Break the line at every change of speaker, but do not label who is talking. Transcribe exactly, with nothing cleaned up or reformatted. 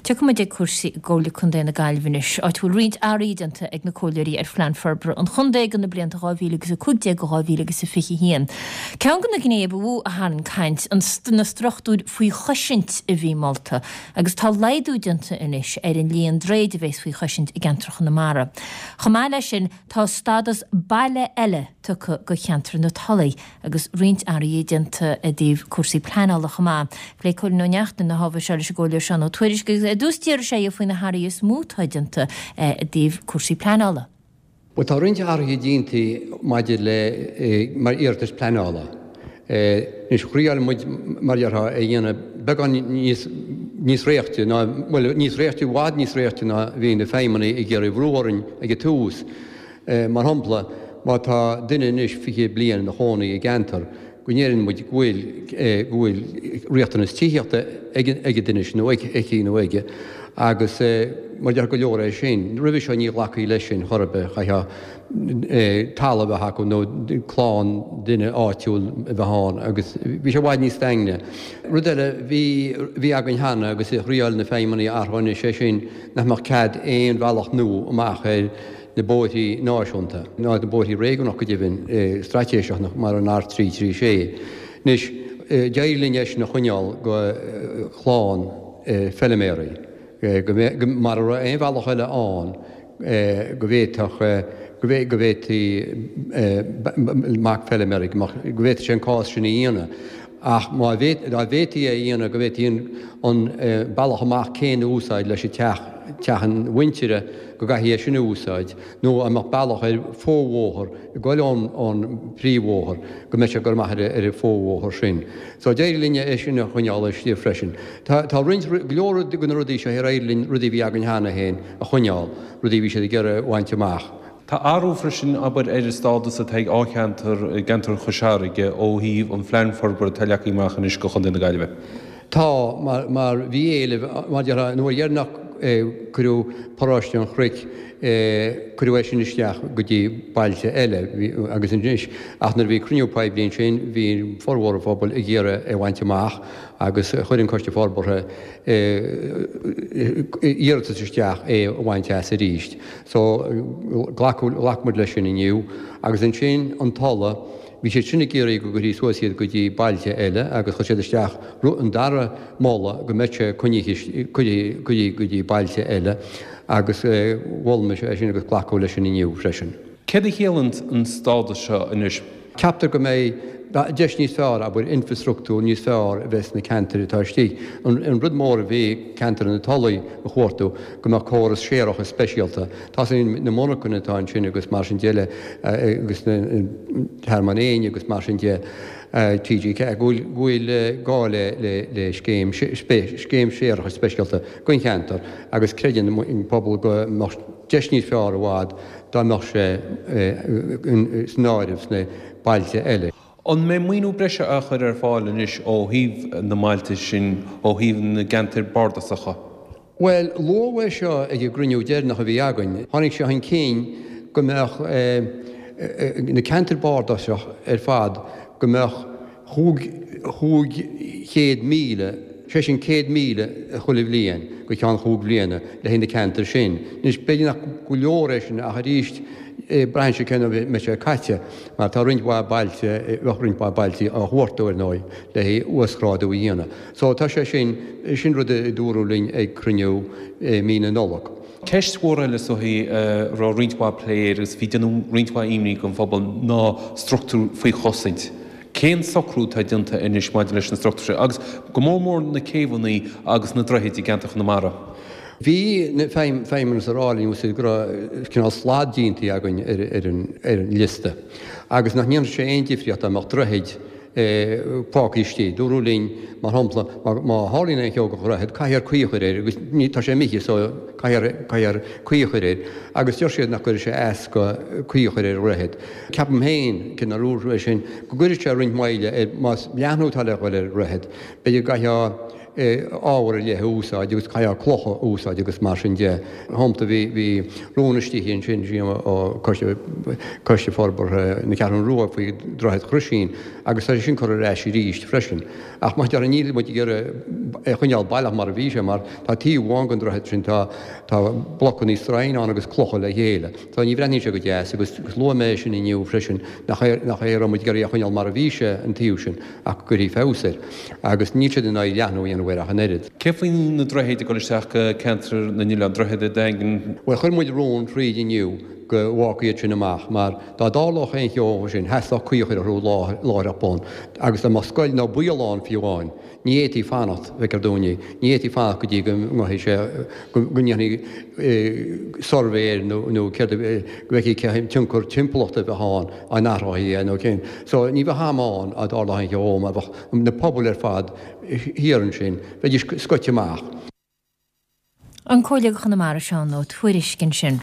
Tiocfaidh muid ag cúrsaí i gComhairle Contae na Gaillimhe anois, áit a bhfuil roinnt athruithe déanta ag na comhairleoirí ar phlean forbartha an chontae do na blianta dhá mhíle agus a cúig déag go dhá mhíle agus a fiche haon. Ceann de na gnéithe ba mhó a tharraing caint, an na struchtúir faoi chosaint a bhí molta, agus tá laghdú déanta anois ar an líon droichead a bheas faoi chosaint i gceantar Chonamara. Chomh maith leis sin, tá stádas baile eile tugtha do cheantar na Tulaí agus roinnt athruithe déanta i dtaobh cúrsaí pleanála chomh maith. Phléigh Cóilín Ó Neachtain na hábhair seo leis an gComhairleoir Seán Ó Tuairisg agus ar dtús d'iarr sé faoi na hathruithe is mó atá déanta i dtaobh cúrsaí pleanála.
Bhuel, tá roinnt athruithe déanta maidir le mar iarratais pleanála. Anois, thriáil muid, mar a déarfá, é a dhéanamh beagán níos níos réichte ná, bhuel, níos réichte, i bhfad níos réichte ná bhí na feidhmeannaigh ag iarraidh brú orainn ag an tús. Mar shampla, má tá duine anois fiche bliain ina chónaí i gceantar, go ndeireann muid go bhfuil go bhfuil riachtanas tithíochta ag ag an duine sin nó aici nó aige agus mar a déarfá go leor é sin. Roimhe seo ní ghlacfaí leis sin chor ar bith, chaithfeá talamh a bheith acu nó clann duine áitiúil a bheith ann agus bhí sé i bhfad níos daingne. Rud eile bhí bhí againn cheana agus a thriáil na feidhmeannaigh a athrú anois é sin nach mbeadh cead aon bhealach nua amach ar na bóithrí náisiúnta, ná na bóithrí réigiúnach go deimhin, straitéiseach mar an R trí trí sé. Anois, d'éirigh linn é sin a choinneáil go chlann feiliméaraí, go mbeadh, mara raibh aon bhealach eile ann go bhféadfadh, go bhféadfaí mac feiliméaraí, go bhféadfadh sé an cás sin a dhéanamh. Ach má dá bhféadfaí é a dhéanamh, go bhféadfaí an bealach amach céanna a úsáid leis an teach, teach an mhuintire, go gcaithfí é sin a úsáid, nó an mbeadh bealach ar fo-bhóthar ag goil ón bpríomhbhóthar, go mbeadh sé ag goil amach ar an fo-bhóthar sin. So d'éirigh linn é sin a choinneáil istigh freisin. Tá tá roinnt, go leor de na rudaí seo ar éirigh linn rudaí a bhí againn cheana féin a choinneáil, rudaí a bhí siad ag iarraidh a bhaint amach.
Tá athrú freisin, abair, ar an stádas atá ag an cheantar i gceantar Chois Fharraige ó thaobh an phlean forbartha atá leagtha amach anois do Chontae na Gaillimhe.
Tá, mar, mar bhí éileamh, mar a déarfá, nuair dheireanach cuireadh Paróiste an Chnoic, cuireadh é sin isteach go dtí bailte eile, bhí, agus anois, ach nuair a bhí cruinniú poiblí ansin, bhí formhór an phobail ag iarraidh é a bhaint amach agus chuir an Coiste Forbartha iarratas isteach é a bhaint as arís. So, glacadh, ghlac muid leis sin inniu. Agus ansin an Tulaigh, bhí siad sin ag iarraidh go gcuirfí suas iad go dtí bailte eile agus chuir siad isteach an dara moladh go mbeadh sé coinnithe, cuirthe go dtí bailte eile agus mhol mise é sin agus glacadh leis sin inniu freisin.
Céard a chiallaíonn an stádas seo anois?
Ceaptar go mbeidh deis níos fearr, abair, infreastruchtúr níos fearr a bheith sna ceantair atá istigh. An rud mór a bhí ceantar na Tulaí a chuartú, go mbeadh córas séarachais speisialta. Tá na monarchana atá ansin agus mar sin de, agus na Tearmann Éin agus mar sin de, T G ceathair, go bhfuil gá le scéim scéim séarachais speisialta don cheantar agus creideann an pobal go mbeadh deis níos fearr i bhfad dá mbeadh sé san áireamh sna bailte eile.
An mbeidh maoiniú breise á chur ar fáil anois ó thaobh na mbailte sin, ó thaobh na gceantar bardasacha?
Bhuel, luadh é seo ag an gcruinniú deireanach a bhí againn. Tháinig sé chun cinn go mbeadh na ceantair bardasach ar fad, go mbeadh chúig chúig chéad míle, sé sin céad míle chuile bhliain go ceann chúig bhliana le haghaidh na ceantair sin. Anois, b'fhéidir nach go leor é sin ach arís braitheann sé cén uair a mbeidh sé caite mar tá roinnt mhaith bailte, bheadh roinnt mhaith bailte á chuartú ar ndóigh le haghaidh uasghrádú a dhéanamh. So tá sé sin, sin rud a dúradh linn ag cruinniú i mí na Nollag.
Ceist mhór eile is dóichí a raibh roinnt mhaith plé air agus a bhí ag déanamh roinnt mhaith imní don phobal ná struchtúir faoi chosaint. Cén socrú atá déanta anois maidir leis na struchtúir seo agus go mór mór na céibheanna agus na droichid i gceantar Chonamara?
Bhí na feidhmeannas ag rá linn go raibh cineál slad déanta againn ar an liosta agus nach ndéanfadh sé aon difríocht dá mbeadh droichid fágtha istigh. Dúradh linn, mar shampla, má tharlaíonn aon cheo go dhroichead, caithfear caoi a chur air agus ní, tá sé imithe so caithfear, caithfear caoi a chur air agus deir siad nach gcuirfidh sé as go caoi a chur ar dhroichead. Ceapaim féin, cé nár dúradh é sin, go gcuirfidh sé roinnt moille ar, más leathnú atá le dhul ar dhroichead, b'fhéidir go gcaithfeá ábhar ar leith a úsáid agus caithfeá clocha a úsáid agus mar sin de. Shampla bhí bhí rún istigh ansin ó Coiste Coiste Forbartha na Ceathrún Rua faoi Droichead Chroisín agus tá sé sin curtha ar ais arís freisin. Ach mar a déarfá níl muid ag iarraidh é a choinneáil baileach mar a bhí sé mar tá taobh amháin den droichead sin tá tá blocanna stroighne ann agus clocha le chéile. So ní bhreathnaíonn sé go deas agus luaigh mé sin inniu freisin nach é nach é a raibh muid ag iarraidh é a choinneáil mar a bhí sé an taobh sin ach go gcuirfí feabhas air. Agus níl siad in aghaidh leathnú a dhéanamh air ach an oiread.
Cé faoi na droichid ag dul isteach go ceantar na nOileán, Droichead an Daingin?
Bhuel chuir muid rún thríd inniu go bhfágfaí iad sin amach mar dá dtarlódh aon cheo ansin theastódh caoi a chur orthu láithreach bonn agus dá mbeadh scoil nó baol ann fiú amháin ní fhéadfaí fanacht, feictear dúinn, ní fhéadfaí fanacht go dtí go ngabhfaidh sé, go ndéanfaí suirbhé air nó nó céard a, go bhfeicfí cén tionchar timpeallachta a bheadh ann dá n-athrófaí é nó cén. So ní bheadh am ann dá dtarlódh aon cheo mar bheadh na pobail ar fad thiar ansin, bheidís scoite amach.
An Comhairleoir do Chonamara Seán Ó Tuairisg ansin.